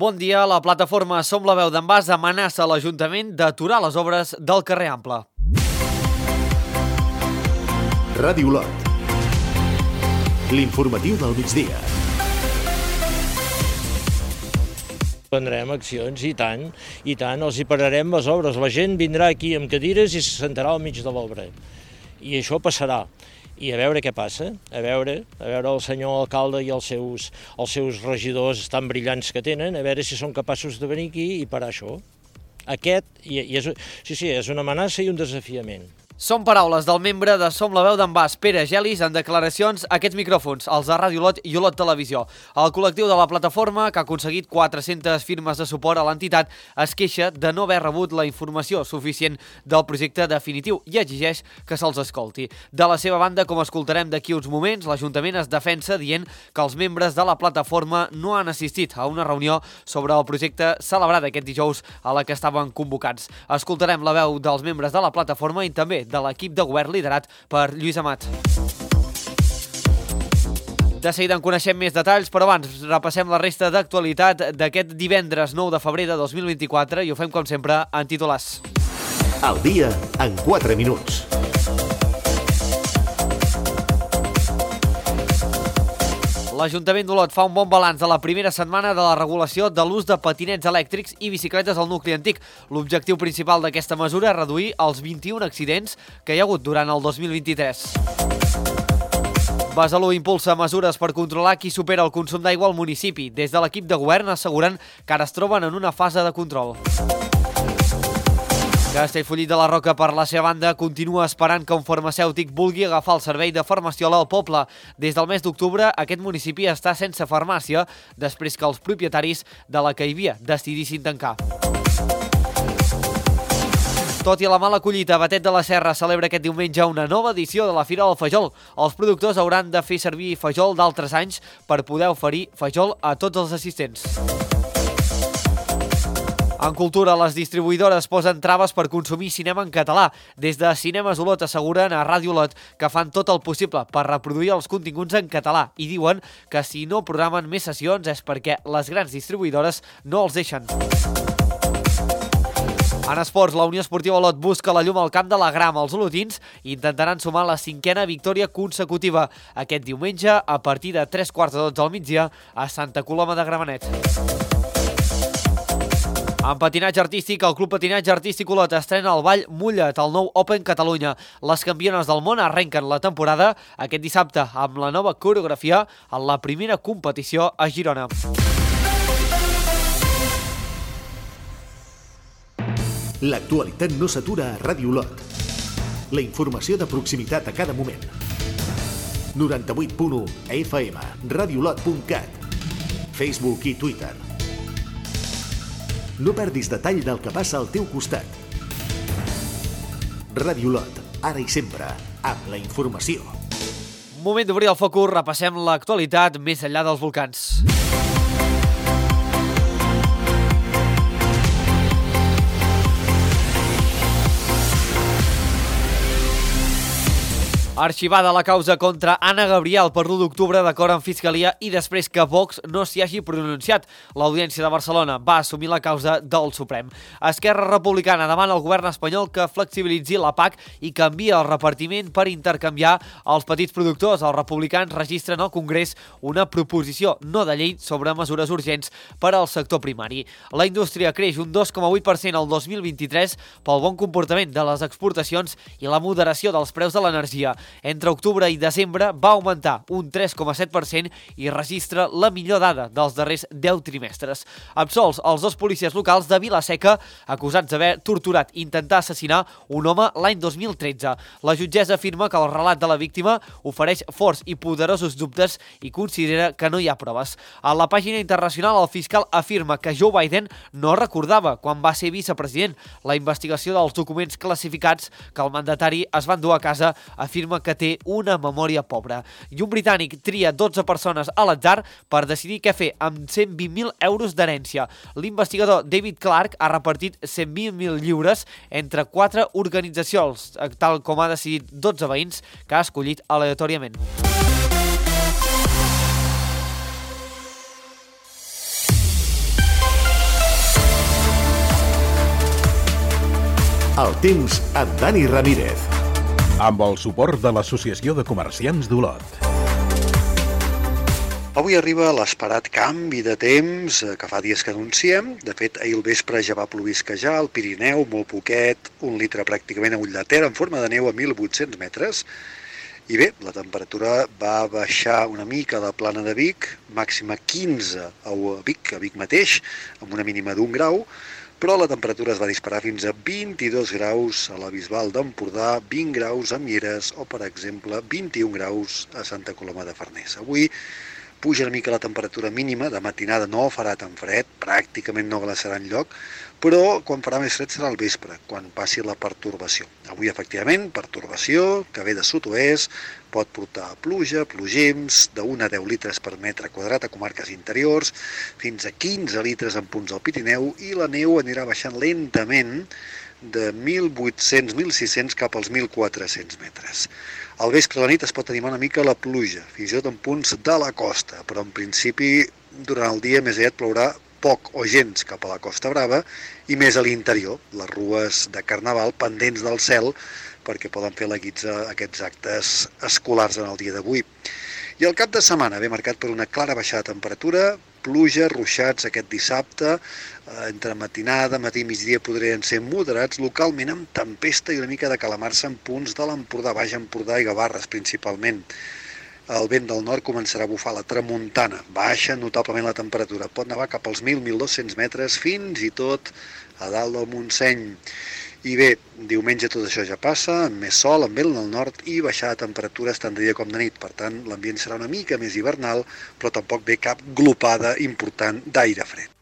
Bon dia. La plataforma Som la veu d'en Bas amenaça l'Ajuntament d'aturar les obres del carrer Ample. Ràdio Olot. L'informatiu del migdia. Prendrem accions, i tant, els hi pararem les obres. La gent vindrà aquí amb cadires i se sentarà al mig de l'obra. I això passarà. I a veure què passa, a veure el senyor alcalde i els seus regidors tan brillants que tenen, a veure si són capaços de venir aquí i parar això. És una amenaça i un desafiament. Són paraules del membre de Som la veu d'en Bas, Pere Gelis, en declaracions a aquests micròfons, els de Ràdio Olot i Olot Televisió. El col·lectiu de la plataforma, que ha aconseguit 400 firmes de suport a l'entitat, es queixa de no haver rebut la informació suficient del projecte definitiu i exigeix que se'ls escolti. De la seva banda, com escoltarem d'aquí uns moments, l'Ajuntament es defensa dient que els membres de la plataforma no han assistit a una reunió sobre el projecte celebrada aquest dijous a la que estaven convocats. Escoltarem la veu dels membres de la plataforma i també de l'equip de govern liderat per Lluís Amat. De seguida en coneixem més detalls, però abans repassem la resta d'actualitat d'aquest divendres 9 de febrer de 2024 i ho fem com sempre en titulars. Al dia en 4 minuts. L'Ajuntament d'Olot fa un bon balanç de la primera setmana de la regulació de l'ús de patinets elèctrics i bicicletes al nucli antic. L'objectiu principal d'aquesta mesura és reduir els 21 accidents que hi ha hagut durant el 2023. Besalú impulsa mesures per controlar qui supera el consum d'aigua al municipi. Des de l'equip de govern asseguren que ara es troben en una fase de control. Castellfollit de la Roca, per la seva banda, continua esperant que un farmacèutic vulgui agafar el servei de farmaciola al poble. Des del mes d'octubre, aquest municipi està sense farmàcia, després que els propietaris de la que hi havia decidissin tancar. Tot i la mala collita, Batet de la Serra celebra aquest diumenge una nova edició de la Fira del Fajol. Els productors hauran de fer servir fajol d'altres anys per poder oferir fajol a tots els assistents. En cultura, les distribuïdores posen traves per consumir cinema en català. Des de Cinemes Olot asseguren a Ràdio Olot que fan tot el possible per reproduir els continguts en català i diuen que si no programen més sessions és perquè les grans distribuïdores no els deixen. En esports, la Unió Esportiva Olot busca la llum al camp de la Grama. Els olotins intentaran sumar la 5a victòria consecutiva aquest diumenge a partir de 3:15 del migdia a Santa Coloma de Gramenet. En patinatge artístic, el Club Patinatge Artístic Olot estrena el ball Mulla't, el nou Open Catalunya. Les campiones del món arrenquen la temporada aquest dissabte amb la nova coreografia en la primera competició a Girona. L'actualitat no s'atura a Ràdio Olot. La informació de proximitat a cada moment. 98.1 FM, radioolot.cat, Facebook i Twitter. No perdis detall del que passa al teu costat. Ràdio Olot, ara i sempre, amb la informació. Moment d'obrir el focus, repassem l'actualitat més enllà dels volcans. Arxivada la causa contra Anna Gabriel per l'1 d'octubre d'acord amb Fiscalia i després que Vox no s'hi hagi pronunciat. L'Audiència de Barcelona va assumir la causa del Suprem. Esquerra Republicana demana al govern espanyol que flexibilitzi la PAC i canvia el repartiment per intercanviar els petits productors. Els republicans registren al Congrés una proposició no de llei sobre mesures urgents per al sector primari. La indústria creix un 2,8% el 2023 pel bon comportament de les exportacions i la moderació dels preus de l'energia. Entre octubre i desembre va augmentar un 3,7% i registra la millor dada dels darrers 10 trimestres. Absolts els 2 policies locals de Vila-seca acusats d'haver torturat i intentar assassinar un home l'any 2013. La jutgessa afirma que el relat de la víctima ofereix forts i poderosos dubtes i considera que no hi ha proves. A la pàgina internacional, el fiscal afirma que Joe Biden no recordava quan va ser vicepresident. La investigació dels documents classificats que el mandatari es va endur a casa afirma que té una memòria pobra. I un britànic tria 12 persones a l'atzar per decidir què fer amb 120.000 euros d'herència. L'investigador David Clark ha repartit 120.000 lliures entre 4 organitzacions, tal com ha decidit 12 veïns que ha escollit aleatòriament. El temps amb Dani Ramírez. Amb el suport de l'Associació de Comerciants d'Olot. Avui arriba l'esperat canvi de temps que fa dies que anunciem. De fet, ahir al vespre ja va plovisquejar al Pirineu, molt poquet, 1 litre pràcticament a ull de terra en forma de neu a 1.800 metres. I bé, la temperatura va baixar una mica a la plana de Vic, màxima 15 a Vic mateix, amb una mínima d'1 grau, però la temperatura es va disparar fins a 22 graus a la Bisbal d'Empordà, 20 graus a Mieres o, per exemple, 21 graus a Santa Coloma de Farners. Avui puja una mica la temperatura mínima, de matinada no farà tan fred, pràcticament no glaçarà enlloc, però quan farà més fred serà al vespre, quan passi la pertorbació. Avui, efectivament, pertorbació, que ve de sud-oest, pot portar pluja, plogims, de 1 a 10 litres per metre quadrat a comarques interiors, fins a 15 litres en punts del Pirineu, i la neu anirà baixant lentament de 1.800-1.600 cap als 1.400 metres. Al vespre de la nit es pot animar una mica la pluja, fins i tot en punts de la costa, però en principi durant el dia més aviat plourà poc o gens cap a la Costa Brava i més a l'interior, les rues de Carnaval pendents del cel perquè poden fer la guitza aquests actes escolars en el dia d'avui. I el cap de setmana ve marcat per una clara baixada de temperatura, pluja, ruixats aquest dissabte, entre matinada, matí i migdia podrien ser moderats, localment amb tempesta i una mica de calamarsa en punts de l'Empordà, Baix Empordà i Gavarres principalment. El vent del nord començarà a bufar la tramuntana, baixa notablement la temperatura, pot nevar cap als 1.000-1.200 metres, fins i tot a dalt del Montseny. I bé, diumenge tot això ja passa, amb més sol, amb vent del nord i baixada de temperatures tant de dia com de nit. Per tant, l'ambient serà una mica més hivernal, però tampoc ve cap glopada important d'aire fred.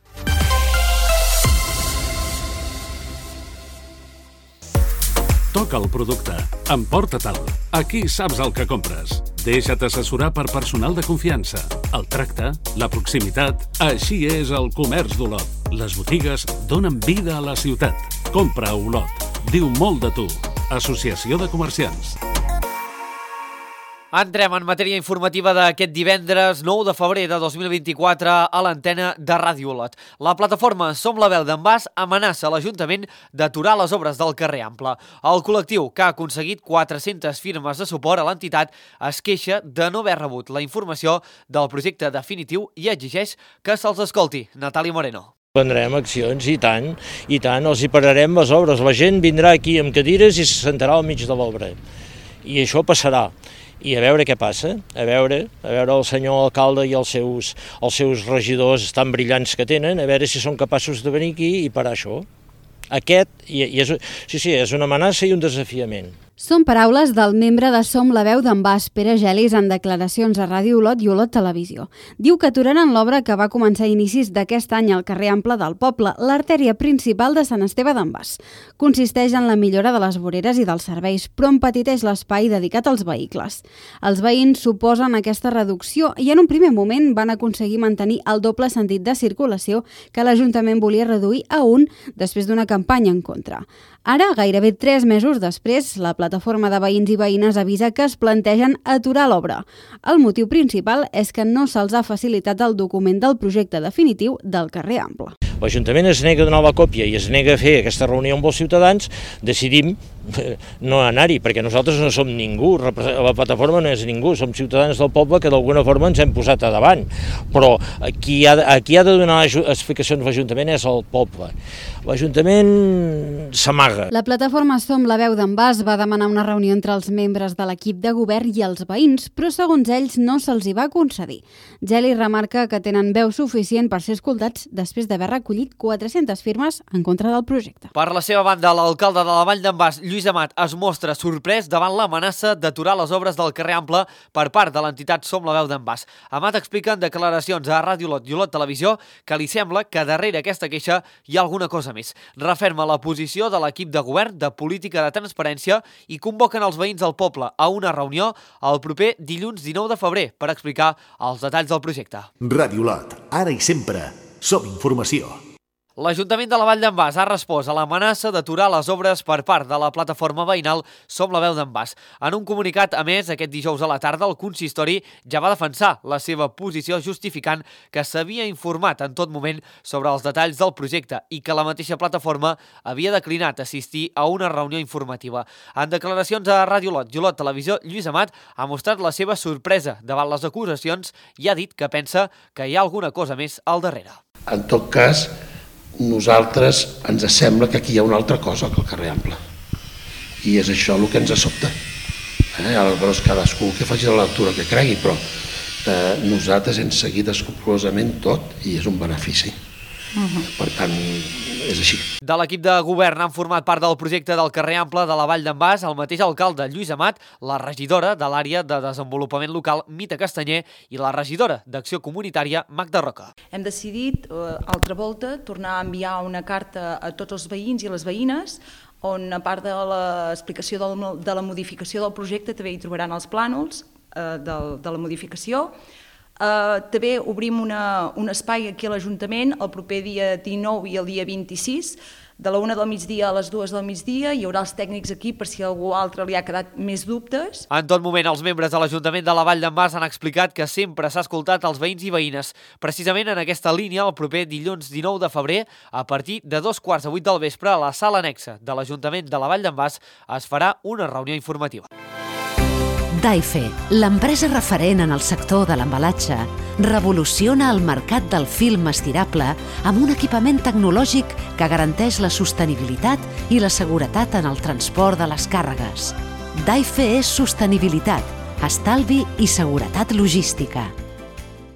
Toca el producte. Emporta-te'l. Aquí saps el que compres. Deixa't assessorar per personal de confiança. El tracte, la proximitat, així és el comerç d'Olot. Les botigues donen vida a la ciutat. Compra a Olot. Diu molt de tu. Associació de Comerciants. Entrem en matèria informativa d'aquest divendres 9 de febrer de 2024 a l'antena de Ràdio Olot. La plataforma Som la veu d'en Bas amenaça l'Ajuntament d'aturar les obres del carrer Ample. El col·lectiu, que ha aconseguit 400 firmes de suport a l'entitat, es queixa de no haver rebut la informació del projecte definitiu i exigeix que se'ls escolti. Natàlia Moreno. Prendrem accions, i tant, els hi pararem les obres. La gent vindrà aquí amb cadires i se sentarà al mig de l'obra. I això passarà. I a veure què passa, a veure el senyor alcalde i els seus regidors tan brillants que tenen, a veure si són capaços de venir aquí i parar això. És una amenaça i un desafiament. Són paraules del membre de Som la veu d'en Bas, Pere Gelis, en declaracions a Ràdio Olot i Olot Televisió. Diu que aturaran l'obra que va començar a inicis d'aquest any al carrer Ample del poble, l'artèria principal de Sant Esteve d'en Bas. Consisteix en la millora de les voreres i dels serveis, però empetiteix l'espai dedicat als vehicles. Els veïns suposen aquesta reducció i en un primer moment van aconseguir mantenir el doble sentit de circulació que l'Ajuntament volia reduir a 1 després d'una campanya en contra. Ara, gairebé 3 mesos després, la plataforma de veïns i veïnes avisa que es plantegen aturar l'obra. El motiu principal és que no se'ls ha facilitat el document del projecte definitiu del carrer Ample. L'Ajuntament es nega a donar la còpia i es nega a fer aquesta reunió amb els ciutadans, decidim no anar-hi, perquè nosaltres no som ningú, la plataforma no és ningú, som ciutadans del poble que d'alguna forma ens hem posat a davant, però qui ha de donar explicacions a l'Ajuntament és el poble. L'Ajuntament s'amaga. La plataforma Som la veu d'en Bas va demanar una reunió entre els membres de l'equip de govern i els veïns, però segons ells no se'ls hi va concedir. Geli remarca que tenen veu suficient per ser escoltats després d'haver recollit 400 firmes en contra del projecte. Per la seva banda, l'alcalde de la Vall d'en Bas, Lluís Amat, es mostra sorprès davant l'amenaça d'aturar les obres del carrer Ample per part de l'entitat Som la veu d'en Bas. Amat explica en declaracions a Ràdio Olot i Olot Televisió que li sembla que darrere aquesta queixa hi ha alguna cosa més. Referma la posició de l'equip de govern de política de transparència i convoquen els veïns del poble a una reunió el proper dilluns 19 de febrer per explicar els detalls del projecte. Ràdio Olot, ara i sempre, som informació. L'Ajuntament de la Vall d'en Bas ha respost a l'amenaça d'aturar les obres per part de la plataforma veïnal Som la Veu d'en Bas. En un comunicat, a més, aquest dijous a la tarda, el consistori ja va defensar la seva posició justificant que s'havia informat en tot moment sobre els detalls del projecte i que la mateixa plataforma havia declinat assistir a una reunió informativa. En declaracions a Ràdio Lot i Olot Televisió, Lluís Amat ha mostrat la seva sorpresa davant les acusacions i ha dit que pensa que hi ha alguna cosa més al darrere. En tot cas, nosaltres ens sembla que aquí hi ha una altra cosa que el carrer Ample. I és això el que ens sobta. Aleshores, cadascú que faci la lectura que cregui, però nosaltres hem seguit escrupolosament tot i és un benefici. Per tant, és així. De l'equip de govern han format part del projecte del carrer Ample de la Vall d'en Bas el mateix alcalde Lluís Amat, la regidora de l'àrea de desenvolupament local Mita Castanyer i la regidora d'Acció Comunitària Magda Roca. Hem decidit, altra volta, tornar a enviar una carta a tots els veïns i les veïnes on, a part de l'explicació de la modificació del projecte, també hi trobaran els plànols de la modificació. També obrim un espai aquí a l'Ajuntament el proper dia 19 i el dia 26, de la 1 del migdia a les 2 del migdia. Hi haurà els tècnics aquí per si a algú altre li ha quedat més dubtes. En tot moment, els membres de l'Ajuntament de la Vall d'en Bas han explicat que sempre s'ha escoltat els veïns i veïnes. Precisament en aquesta línia, el proper dilluns 19 de febrer, a partir de 2:45 del vespre, a la sala anexa de l'Ajuntament de la Vall d'en Bas es farà una reunió informativa. Daife, l'empresa referent en el sector de l'embalatge, revoluciona el mercat del film estirable amb un equipament tecnològic que garanteix la sostenibilitat i la seguretat en el transport de les càrregues. Daife és sostenibilitat, estalvi i seguretat logística.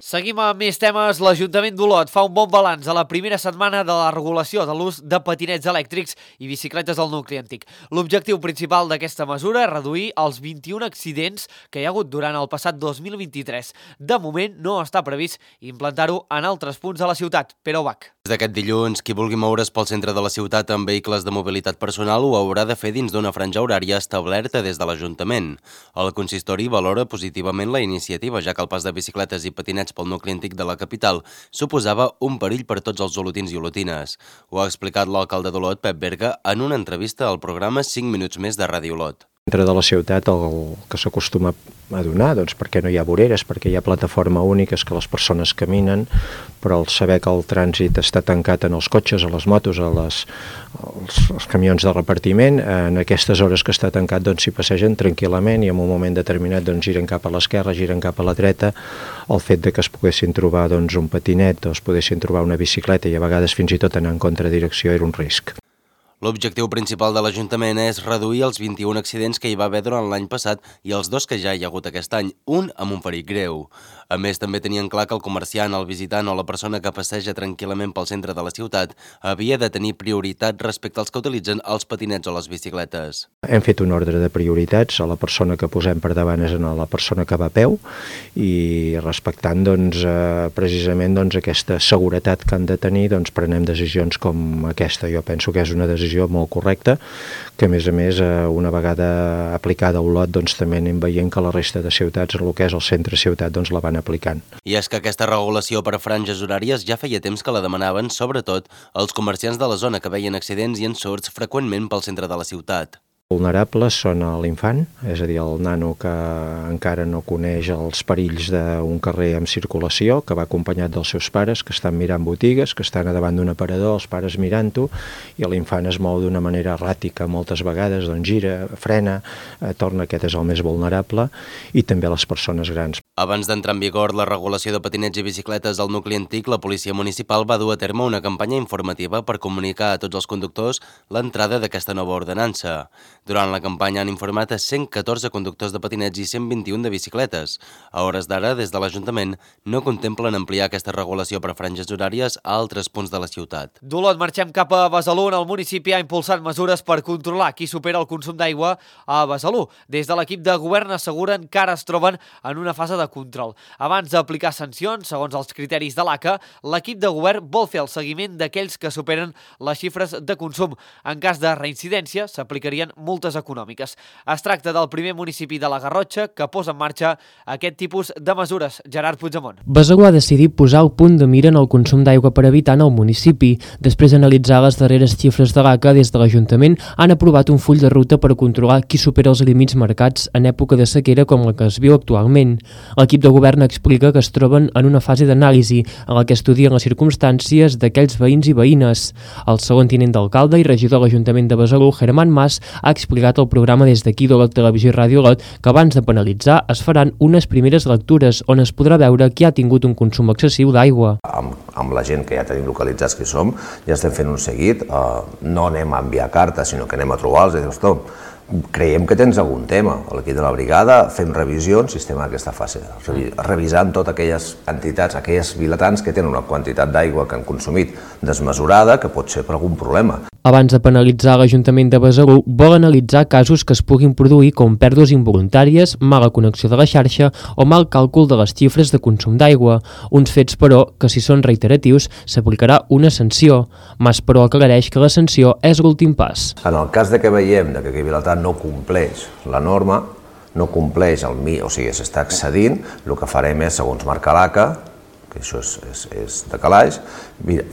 Seguim amb més temes. L'Ajuntament d'Olot fa un bon balanç a la primera setmana de la regulació de l'ús de patinets elèctrics i bicicletes al nucli antic. L'objectiu principal d'aquesta mesura és reduir els 21 accidents que hi ha hagut durant el passat 2023. De moment no està previst implantar-ho en altres punts de la ciutat. Pere Ubach. Des d'aquest dilluns, qui vulgui moure's pel centre de la ciutat amb vehicles de mobilitat personal ho haurà de fer dins d'una franja horària establerta des de l'Ajuntament. El consistori valora positivament la iniciativa, ja que el pas de bicicletes i patinets pel nucli antic de la capital suposava un perill per tots els olotins i olotines. Ho ha explicat l'alcalde d'Olot, Pep Berga, en una entrevista al programa 5 minuts més de Ràdio Olot. Dintre de la ciutat el que s'acostuma a donar, doncs perquè no hi ha voreres, perquè hi ha plataforma única, és que les persones caminen, però el saber que el trànsit està tancat en els cotxes, a les motos, als camions de repartiment, en aquestes hores que està tancat doncs s'hi passegen tranquil·lament i en un moment determinat doncs giren cap a l'esquerra, giren cap a la dreta. El fet de que es poguessin trobar doncs un patinet o es poguessin trobar una bicicleta i a vegades fins i tot anar en contradirecció era un risc. L'objectiu principal de l'Ajuntament és reduir els 21 accidents que hi va haver durant l'any passat i els 2 que ja hi ha hagut aquest any, un amb un ferit greu. A més, també tenien clar que el comerciant, el visitant o la persona que passeja tranquil·lament pel centre de la ciutat havia de tenir prioritat respecte als que utilitzen els patinets o les bicicletes. Hem fet un ordre de prioritats, a la persona que posem per davant és a la persona que va a peu i respectant precisament aquesta seguretat que han de tenir prenem decisions com aquesta. Jo penso que és una decisió molt correcta, que a més, una vegada aplicada a Olot, també anem veient que la resta de ciutats, el que és el centre-ciutat, la van aplicant. I és que aquesta regulació per franges horàries ja feia temps que la demanaven, sobretot els comerciants de la zona que veien accidents i ensorts freqüentment pel centre de la ciutat. Vulnerables són l'infant, és a dir, el nano que encara no coneix els perills d'un carrer en circulació, que va acompanyat dels seus pares, que estan mirant botigues, que estan davant d'un aparador, els pares mirant-ho, i l'infant es mou d'una manera erràtica moltes vegades, gira, frena, torna, aquest és el més vulnerable, i també les persones grans. Abans d'entrar en vigor la regulació de patinets i bicicletes al nucli antic, la policia municipal va dur a terme una campanya informativa per comunicar a tots els conductors l'entrada d'aquesta nova ordenança. Durant la campanya han informat a 114 conductors de patinets i 121 de bicicletes. A hores d'ara, des de l'Ajuntament, no contemplen ampliar aquesta regulació per franges horàries a altres punts de la ciutat. D'Olot marxem cap a Besalú. El municipi ha impulsat mesures per controlar qui supera el consum d'aigua a Besalú. Des de l'equip de govern asseguren que ara es troben en una fase de control. Abans d'aplicar sancions, segons els criteris de l'ACA, l'equip de govern vol fer el seguiment d'aquells que superen les xifres de consum. En cas de reincidència, s'aplicarien multes multes econòmiques. Es tracta del primer municipi de la Garrotxa que posa en marxa aquest tipus de mesures. Gerard Puigdemont. Besalú ha decidit posar el punt de mira en el consum d'aigua per habitant al municipi. Després d'analitzar les darreres xifres de l'ACA, des de l'Ajuntament han aprovat un full de ruta per controlar qui supera els límits marcats en època de sequera com la que es viu actualment. L'equip de govern explica que es troben en una fase d'anàlisi en la que estudien les circumstàncies d'aquells veïns i veïnes. El segon tinent d'alcalde i regidor de l'Ajuntament de Besalú, Germán Mas, ha explicat al programa Des d'aquí d'Olot Televisió i Ràdio Olot que abans de penalitzar es faran unes primeres lectures on es podrà veure qui ha tingut un consum excessiu d'aigua. Amb la gent que ja tenim localitzats que som, ja estem fent un seguit, no anem a enviar cartes, sinó que anem a trobar-los i dir, ostres, creiem que tens algun tema. A l'equip de la brigada fem revisions i estem en aquesta fase, revisant totes aquelles entitats, aquelles vilatans que tenen una quantitat d'aigua que han consumit desmesurada, que pot ser per algun problema. Abans de penalitzar l'Ajuntament de Besalú, vol analitzar casos que es puguin produir com pèrdues involuntàries, mala connexió de la xarxa o mal càlcul de les xifres de consum d'aigua. Uns fets, però, que si són reiteratius, s'aplicarà una sanció. Mas, però, aclareix que la sanció és l'últim pas. En el cas de que veiem que aquell vilatà no compleix la norma, no compleix o sigui, s'està excedint, el que farem és, segons marca l'ACA, que això és de calaix,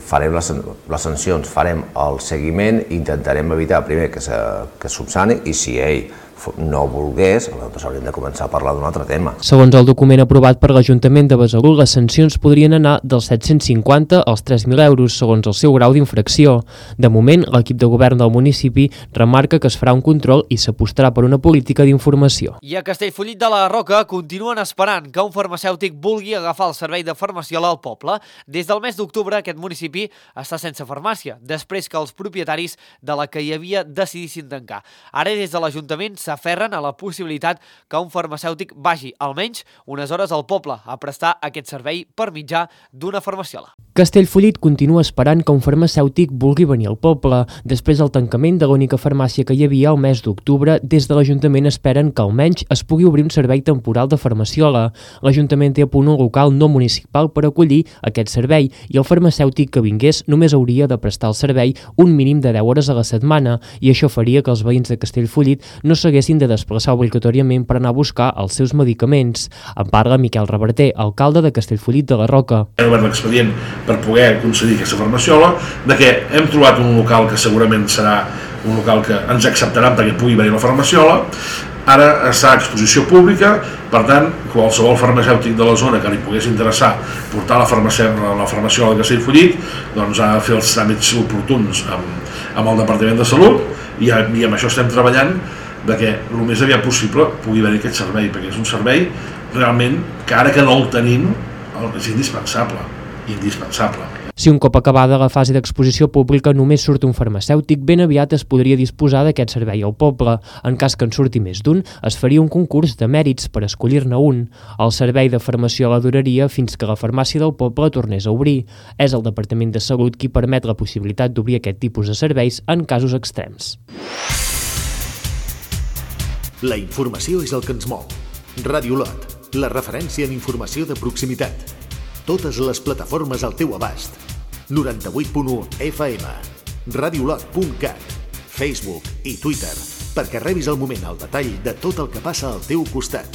farem les sancions, farem el seguiment, intentarem evitar primer que subsani i si ell no volgués, aleshores hauríem de començar a parlar d'un altre tema. Segons el document aprovat per l'Ajuntament de Besalú, les sancions podrien anar dels 750 als 3.000 euros, segons el seu grau d'infracció. De moment, l'equip de govern del municipi remarca que es farà un control i s'apostarà per una política d'informació. I a Castellfollit de la Roca continuen esperant que un farmacèutic vulgui agafar el servei de farmaciola al poble. Des del mes d'octubre, aquest municipi està sense farmàcia, després que els propietaris de la que hi havia decidissin tancar. Ara, des de l'Ajuntament, s'aferren a la possibilitat que un farmacèutic vagi almenys unes hores al poble a prestar aquest servei per mitjà d'una farmaciola. Castellfollit continua esperant que un farmacèutic vulgui venir al poble. Després del tancament de l'única farmàcia que hi havia al mes d'octubre, des de l'Ajuntament esperen que almenys es pugui obrir un servei temporal de farmaciola. L'Ajuntament té a punt un local no municipal per acollir aquest servei i el farmacèutic que vingués només hauria de prestar el servei un mínim de 10 hores a la setmana i això faria que els veïns de Castellfollit no s'haguessin de desplaçar obligatòriament per anar a buscar els seus medicaments. En parla Miquel Reverter, alcalde de Castellfollit de la Roca. Hem obert l'expedient per poder concedir aquesta farmaciola, de que hem trobat un local que segurament serà un local que ens acceptaran perquè pugui venir la farmaciola. Ara està a exposició pública, per tant, qualsevol farmacèutic de la zona que li pogués interessar portar la farmaciola de Castellfollit, doncs ha de fer els tràmits oportuns amb el Departament de Salut i amb això estem treballant de que el més aviat possible pugui haver aquest servei, perquè és un servei realment que ara que no el tenim és indispensable. Si un cop acabada la fase d'exposició pública només surt un farmacèutic, ben aviat es podria disposar d'aquest servei al poble. En cas que en surti més d'un, es faria un concurs de mèrits per escollir-ne un. El servei de farmaciola duraria fins que la farmàcia del poble tornés a obrir. És el Departament de Salut qui permet la possibilitat d'obrir aquest tipus de serveis en casos extrems. La informació és el que ens mou. Ràdio Olot, la referència en informació de proximitat. Totes les plataformes al teu abast. 98.1 FM, radiolot.cat, Facebook i Twitter, perquè rebis al moment el detall de tot el que passa al teu costat.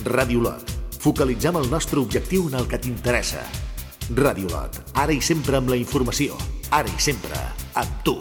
Ràdio Olot, focalitzem el nostre objectiu en el que t'interessa. Ràdio Olot, ara i sempre amb la informació, ara i sempre amb tu.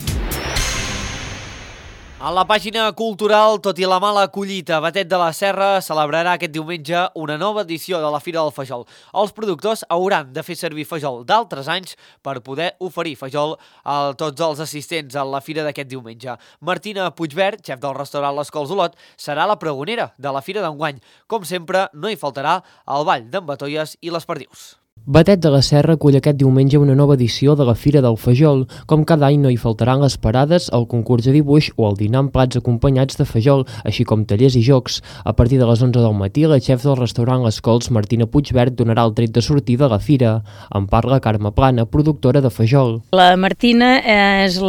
A la pàgina cultural, tot i la mala collita, Batet de la Serra celebrarà aquest diumenge una nova edició de la Fira del Fajol. Els productors hauran de fer servir fajol d'altres anys per poder oferir fajol a tots els assistents a la fira d'aquest diumenge. Martina Puigvert, xef del restaurant Les Cols Olot, serà la pregonera de la fira d'enguany. Com sempre, no hi faltarà el ball d'en Batolles i les perdius. Batet de la Serra acull aquest diumenge una nova edició de la Fira del Fajol. Com cada any no hi faltaran les parades, el concurs de dibuix o el dinar amb plats acompanyats de fajol, així com tallers i jocs. A partir de les 11 del matí, la xef del restaurant Les Cols, Martina Puigvert, donarà el tret de sortida a la fira. En parla Carme Plana, productora de fajol. La Martina és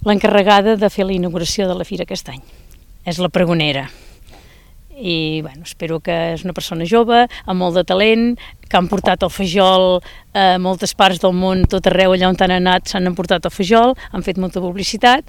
l'encarregada de fer la inauguració de la fira aquest any. És la pregonera. I bueno, espero que és una persona jove, amb molt de talent, que han portat el fajol a moltes parts del món, tot arreu allà on han anat s'han emportat el fajol, han fet molta publicitat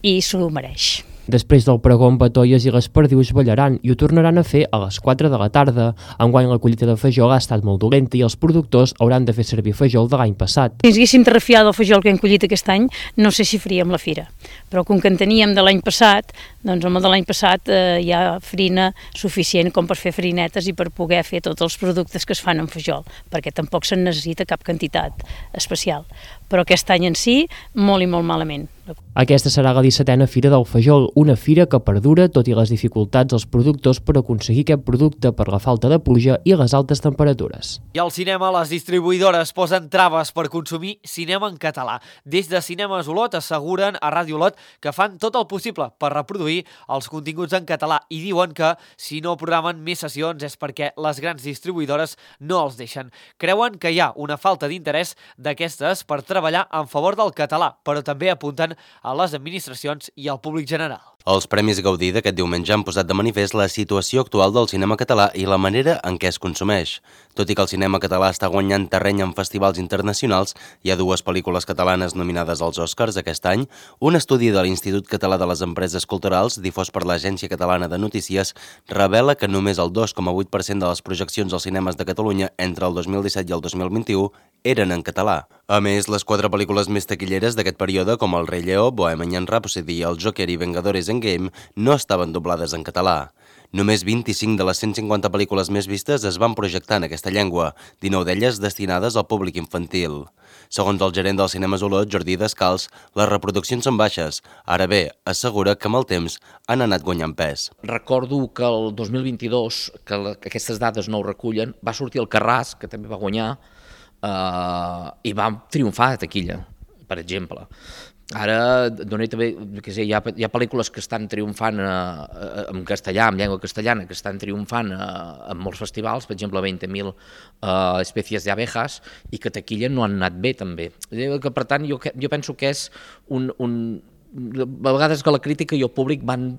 i s'ho mereix. Després del pregó amb batolles i les perdius ballaran i ho tornaran a fer a les 4 de la tarda. Enguany la collita de fajol ha estat molt dolenta i els productors hauran de fer servir fajol de l'any passat. Si ens haguéssim de refiar del fajol que hem collit aquest any, no sé si faríem la fira. Però com que en teníem de l'any passat, doncs home, de l'any passat hi ha farina suficient com per fer farinetes i per poder fer tots els productes que es fan amb fajol, perquè tampoc se'n necessita cap quantitat especial. Però aquest any en si, molt i molt malament. Aquesta serà la 17a Fira del Fajol, una fira que perdura tot i les dificultats dels productors per aconseguir aquest producte per la falta de pluja i les altes temperatures. I al cinema, les distribuïdores posen traves per consumir cinema en català. Des de Cinemes Olot asseguren a Ràdio Olot que fan tot el possible per reproduir els continguts en català i diuen que si no programen més sessions és perquè les grans distribuïdores no els deixen. Creuen que hi ha una falta d'interès d'aquestes per treballar en favor del català, però també apunten a les administracions i al públic general. Els Premis Gaudí d'aquest diumenge han posat de manifest la situació actual del cinema català i la manera en què es consumeix. Tot i que el cinema català està guanyant terreny en festivals internacionals, hi ha 2 pel·lícules catalanes nominades als Oscars aquest any. Un estudi de l'Institut Català de les Empreses Culturals, difós per l'Agència Catalana de Notícies, revela que només el 2,8% de les projeccions als cinemes de Catalunya entre el 2017 i el 2021 eren en català. A més, les 4 pel·lícules més taquilleres d'aquest període, com El Rei Lleó, Bohemian Rhapsody, El Joker i Vengadores Endgame, no estaven doblades en català. Només 25 de les 150 pel·lícules més vistes es van projectar en aquesta llengua, 19 d'elles destinades al públic infantil. Segons el gerent del Cinemes Olot, Jordi Descals, les reproduccions són baixes. Ara bé, assegura que amb el temps han anat guanyant pes. Recordo que el 2022, que aquestes dades no ho recullen, va sortir el Carràs, que també va guanyar, i va triomfar a taquilla, per exemple. Ara, també, hi ha pel·lícules que estan triomfant en castellà, en llengua castellana, que estan triomfant en molts festivals, per exemple 20.000 espècies d'abejas, i que taquilla no han anat bé també. Per tant, jo penso que és a vegades que la crítica i el públic van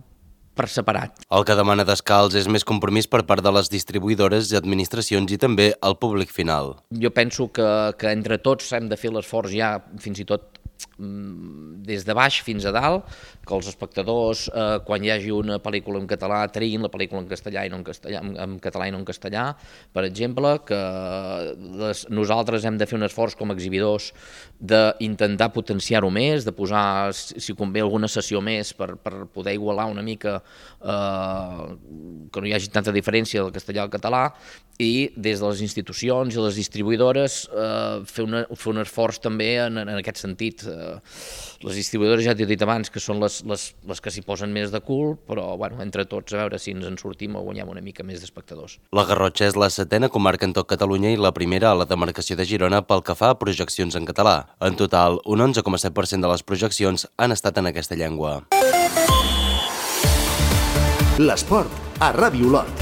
per separat. El que demana Descals és més compromís per part de les distribuïdores i administracions i també el públic final. Jo penso que entre tots hem de fer l'esforç ja, fins i tot des de baix fins a dalt, que els espectadors, quan hi hagi una pel·lícula en català, triïn la pel·lícula en castellà i no en català i no en castellà, per exemple, que nosaltres hem de fer un esforç com a exhibidors d'intentar potenciar-ho més, de posar, si convé, alguna sessió més per poder igualar una mica, que no hi hagi tanta diferència del castellà al català, i des de les institucions i les distribuïdores fer un esforç també en aquest sentit. Les distribuïdores, ja t'he dit abans, que són les que s'hi posen més de cul, però entre tots a veure si ens en sortim o guanyem una mica més d'espectadors. La Garrotxa és la 7a comarca en tot Catalunya i la primera a la demarcació de Girona pel que fa a projeccions en català. En total, un 11,7% de les projeccions han estat en aquesta llengua. L'esport a Ràdio Olot.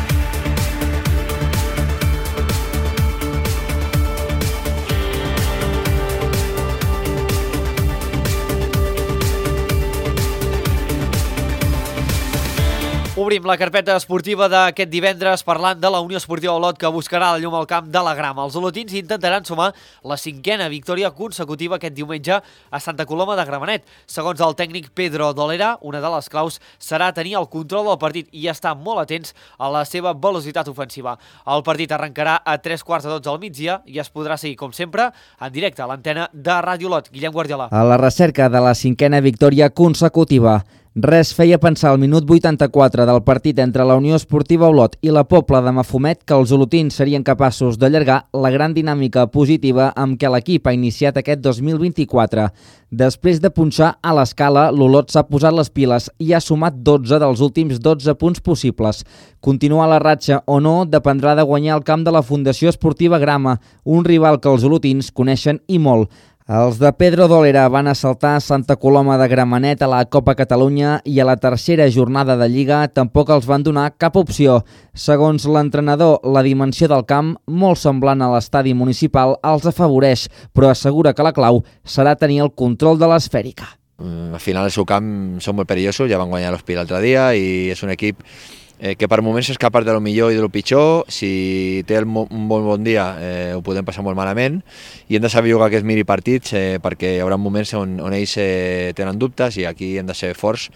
Obrim la carpeta esportiva d'aquest divendres parlant de la Unió Esportiva Olot, que buscarà la llum al camp de la Grama. Els olotins intentaran sumar la 5a victòria consecutiva aquest diumenge a Santa Coloma de Gramenet. Segons el tècnic Pedro Dolera, una de les claus serà tenir el control del partit i estar molt atents a la seva velocitat ofensiva. El partit arrencarà a 3:15 al migdia i es podrà seguir, com sempre, en directe a l'antena de Ràdio Olot. Guillem Guardiola. A la recerca de la 5a victòria consecutiva. Res feia pensar al minut 84 del partit entre la Unió Esportiva Olot i la Pobla de Mafumet que els olotins serien capaços d'allargar la gran dinàmica positiva amb què l'equip ha iniciat aquest 2024. Després de punxar a l'escala, l'Olot s'ha posat les piles i ha sumat 12 dels últims 12 punts possibles. Continuar la ratxa o no dependrà de guanyar el camp de la Fundació Esportiva Grama, un rival que els olotins coneixen i molt. Els de Pedro Dolera van assaltar Santa Coloma de Gramenet a la Copa Catalunya i a la tercera jornada de Lliga tampoc els van donar cap opció. Segons l'entrenador, la dimensió del camp, molt semblant a l'estadi municipal, els afavoreix, però assegura que la clau serà tenir el control de l'esfèrica. Al final el seu camp són molt perillosos, ja van guanyar l'Hospitalet l'altre dia i és un equip que per moments és capaç de lo millor i de lo pitjor. Si té un bon dia ho podem passar molt malament i hem de saber jugar aquests minipartits perquè hi haurà moments on ells tenen dubtes i aquí hem de ser forts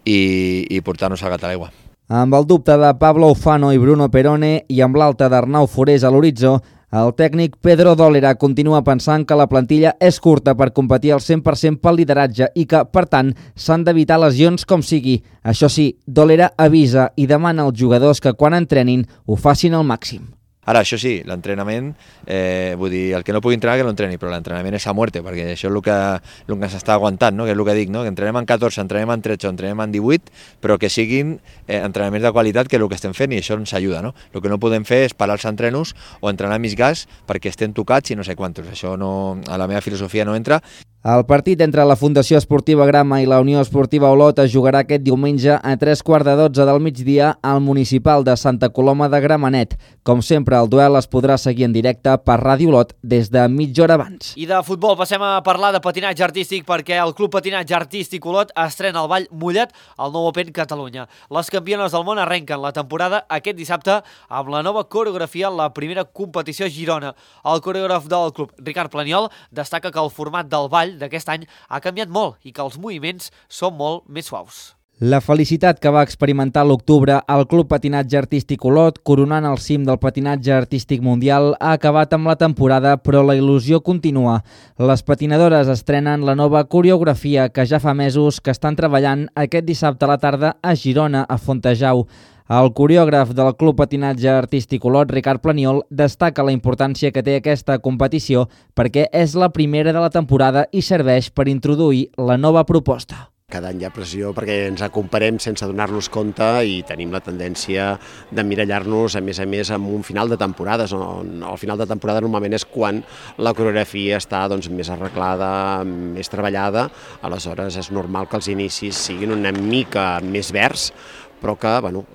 i portar-nos al gat a l'aigua. Amb el dubte de Pablo Ufano i Bruno Perone i amb l'alta d'Arnau Forés a l'horitzó, el tècnic Pedro Dólera continua pensant que la plantilla és curta per competir al 100% pel lideratge i que, per tant, s'han d'evitar lesions com sigui. Això sí, Dólera avisa i demana als jugadors que quan entrenin ho facin al màxim. Ara, això sí, l'entrenament, vull dir, el que no pugui entrenar que no entreni, però l'entrenament és a muerte, perquè això és el que s'està aguantant, no? Que és el que dic, no? Que entrenem en 14, entrenem en 13, entrenem en 18, però que siguin entrenaments de qualitat, que és el que estem fent i això ens ajuda, no? El que no podem fer és parar els entrenos o entrenar més gas perquè estem tocats i no sé quantos. Això no, a la meva filosofia no entra. El partit entre la Fundació Esportiva Grama i la Unió Esportiva Olot es jugarà aquest diumenge a 3:15 del migdia al municipal de Santa Coloma de Gramenet. Com sempre, el duel es podrà seguir en directe per Ràdio Olot des de mitja hora abans. I de futbol passem a parlar de patinatge artístic perquè el Club Patinatge Artístic Olot estrena el ball Mullet al nou Open Catalunya. Les campiones del món arrenquen la temporada aquest dissabte amb la nova coreografia en la primera competició a Girona. El coreògraf del club, Ricard Planiol, destaca que el format del ball d'aquest any ha canviat molt i que els moviments són molt més suaus. La felicitat que va experimentar l'octubre al Club Patinatge Artístic Olot, coronant el cim del patinatge artístic mundial, ha acabat amb la temporada, però la il·lusió continua. Les patinadores estrenen la nova coreografia que ja fa mesos que estan treballant aquest dissabte a la tarda a Girona, a Fontejau. El coreògraf del Club Patinatge Artístic Olot, Ricard Planiol, destaca la importància que té aquesta competició perquè és la primera de la temporada i serveix per introduir la nova proposta. Cada any hi ha pressió perquè ens comparem sense donar-nos compte i tenim la tendència d'emmirallar-nos, a més, amb un final de temporades. El final de temporada normalment és quan la coreografia està més arreglada, més treballada, aleshores és normal que els inicis siguin una mica més verds, però que,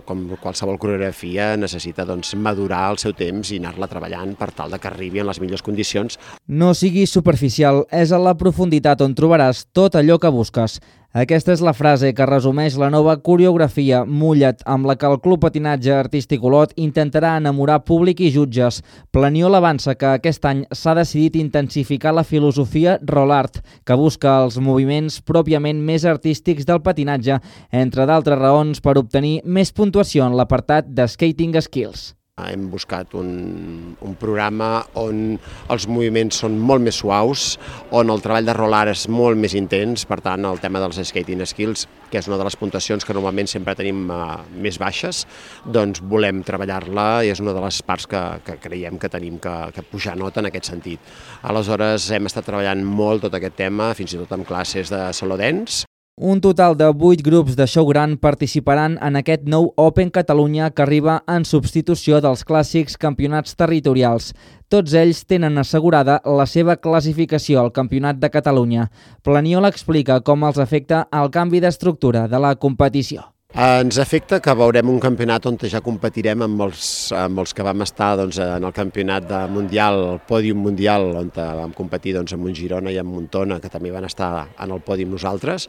com qualsevol coreografia, necessita madurar el seu temps i anar-la treballant per tal que arribi en les millors condicions. No siguis superficial, és a la profunditat on trobaràs tot allò que busques. Aquesta és la frase que resumeix la nova coreografia Mullet, amb la que el Club Patinatge Artístic Olot intentarà enamorar públic i jutges. Planiol avança que aquest any s'ha decidit intensificar la filosofia roll art, que busca els moviments pròpiament més artístics del patinatge, entre d'altres raons per obtenir més puntuació en l'apartat de Skating Skills. Hem buscat un programa on els moviments són molt més suaus, on el treball de roll art és molt més intens, per tant el tema dels skating skills, que és una de les puntuacions que normalment sempre tenim més baixes, doncs volem treballar-la i és una de les parts que creiem que tenim que pujar nota en aquest sentit. Aleshores hem estat treballant molt tot aquest tema, fins i tot amb classes de saló dance. Un total de 8 grups de show gran participaran en aquest nou Open Catalunya que arriba en substitució dels clàssics campionats territorials. Tots ells tenen assegurada la seva classificació al Campionat de Catalunya. Planiol explica com els afecta el canvi d'estructura de la competició. Ens afecta que veurem un campionat on ja competirem amb els que vam estar en el campionat mundial, el pòdium mundial, on vam competir amb un Girona i amb Montona, que també van estar en el pòdium nosaltres,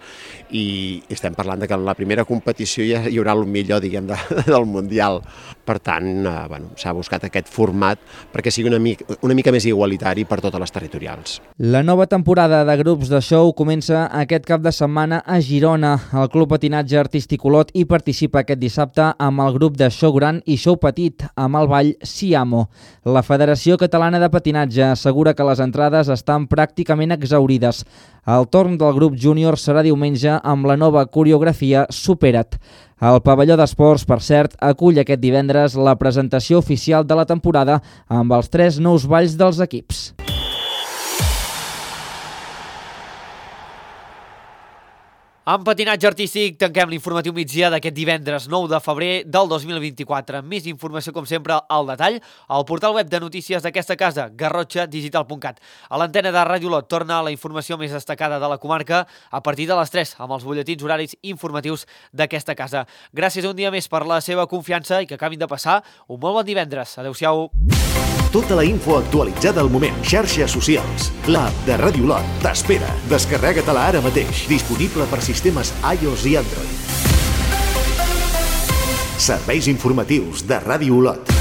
i estem parlant que en la primera competició ja hi haurà el millor, diguem, del mundial. Per tant, s'ha buscat aquest format perquè sigui una mica més igualitari per totes les territorials. La nova temporada de grups de show comença aquest cap de setmana a Girona. El Club Patinatge Artístic Olot hi participa aquest dissabte amb el grup de show gran i show petit amb el ball Siamo. La Federació Catalana de Patinatge assegura que les entrades estan pràcticament exhaurides. El torn del grup júnior serà diumenge amb la nova coreografia Supera't. El pavelló d'esports, per cert, acull aquest divendres la presentació oficial de la temporada amb els 3 nous balls dels equips. En patinatge artístic tanquem l'informatiu migdia d'aquest divendres 9 de febrer del 2024. Més informació, com sempre, al detall al portal web de notícies d'aquesta casa, garrotxadigital.cat. A l'antena de Ràdio Olot torna la informació més destacada de la comarca a partir de les 3, amb els butlletins horaris informatius d'aquesta casa. Gràcies un dia més per la seva confiança i que acabin de passar un molt bon divendres. Adéu-siau. Tota la info actualitzada al moment. Xarxes socials. L'app de Ràdio Olot t'espera. Descarrega-te-la ara mateix. Disponible per sistemes iOS i Android. Serveis informatius de Ràdio Olot.